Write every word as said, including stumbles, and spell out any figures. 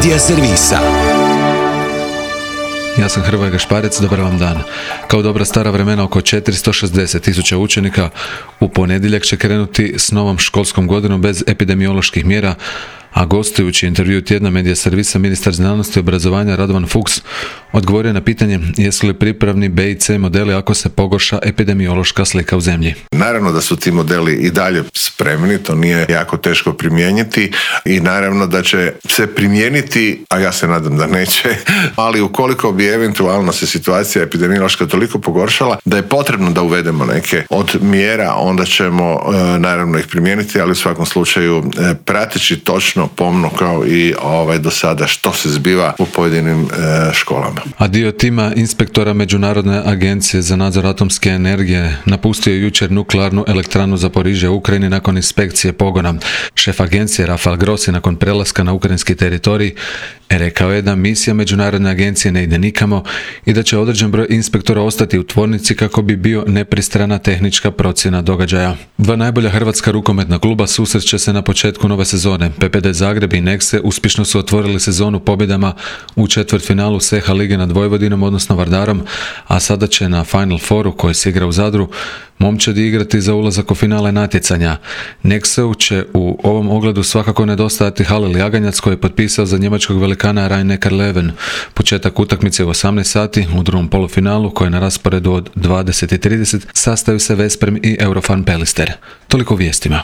Medija servisa. Ja sam Hrvoje Gašparec, dobar vam dan. Kao dobra stara vremena, oko četiristo šezdeset tisuća učenika u ponedjeljak će krenuti s novom školskom godinom bez epidemioloških mjera, a gostujući intervju tjedna Medija servisa, ministar znanosti i obrazovanja Radovan Fuchs odgovorio na pitanje jesu li pripravni B i C modeli ako se pogorša epidemiološka slika u zemlji. Naravno da su ti modeli i dalje spremni, to nije jako teško primijeniti i naravno da će se primijeniti, a ja se nadam da neće, ali ukoliko bi eventualno se situacija epidemiološka toliko pogoršala da je potrebno da uvedemo neke od mjera, onda ćemo e, naravno ih primijeniti, ali u svakom slučaju e, prateći točno pomno kao i ovaj do sada što se zbiva u pojedinim e, školama. A dio tima inspektora Međunarodne agencije za nadzor atomske energije napustio jučer nuklearnu elektranu Zaporižje u Ukrajini nakon inspekcije pogona. Šef agencije Rafael Grossi nakon prelaska na ukrajinski teritorij rekao je da misija Međunarodne agencije ne ide nikamo i da će određen broj inspektora ostati u tvornici kako bi bio nepristrana tehnička procjena događaja. Dva najbolja hrvatska rukometna kluba susreće se na početku nove sezone. P P D Zagreb i Nexe uspješno su otvorili sezonu pobjedama u četvrtfinalu S E H A lige nad Vojvodinom, odnosno Vardarom, a sada će na Final Fouru koji se igra u Zadru momčadi igrati za ulazak u finale natjecanja. Nexeu će u ovom ogledu svakako nedostajati Halil Jaganjac koji je potpisao za njemačkog velikana Rhein-Neckar Löwen. Početak utakmice u osamnaest sati u drugom polufinalu koji je na rasporedu od dvadeset i trideset sastaju se Veszprem i Eurofan Pelister. Toliko vijestima.